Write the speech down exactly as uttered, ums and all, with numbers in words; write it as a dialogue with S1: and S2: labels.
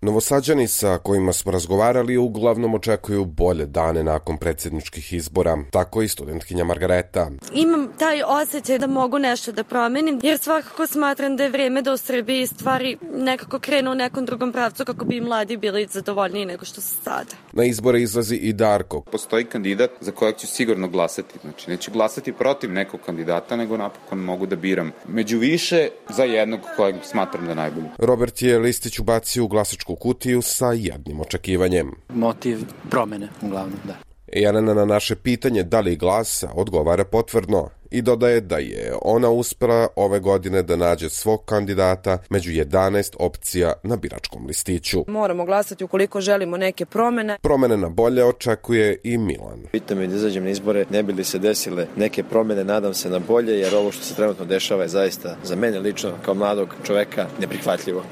S1: Novosađani sa kojima smo razgovarali uglavnom očekuju bolje dane nakon predsjedničkih izbora, tako i studentkinja Margareta.
S2: Imam taj osjećaj da mogu nešto da promenim, jer svakako smatram da je vreme da u Srbiji stvari nekako krenu u nekom drugom pravcu kako bi mladi bili zadovoljniji nego što su sada.
S1: Na izbore izlazi i Darko.
S3: Postoji kandidat za kojeg ću sigurno glasati. Znači, neću glasati protiv nekog kandidata, nego napokon mogu da biram među više za jednog kojeg smatram da je najbolji.
S1: Robert je listić ubacio u glasačku kutiju sa jednim očekivanjem.
S4: Motiv promene, uglavnom, da.
S1: Jelena na naše pitanje da li glasa odgovara potvrdno i dodaje da je ona uspela ove godine da nađe svog kandidata među jedanaest opcija na biračkom listiću.
S5: Moramo glasati ukoliko želimo neke promene.
S1: Promene na bolje očekuje i Milan.
S6: Pitam me da izađem na izbore, ne bi li se desile neke promene, nadam se na bolje, jer ovo što se trenutno dešava je zaista za mene lično kao mladog čoveka neprihvatljivo.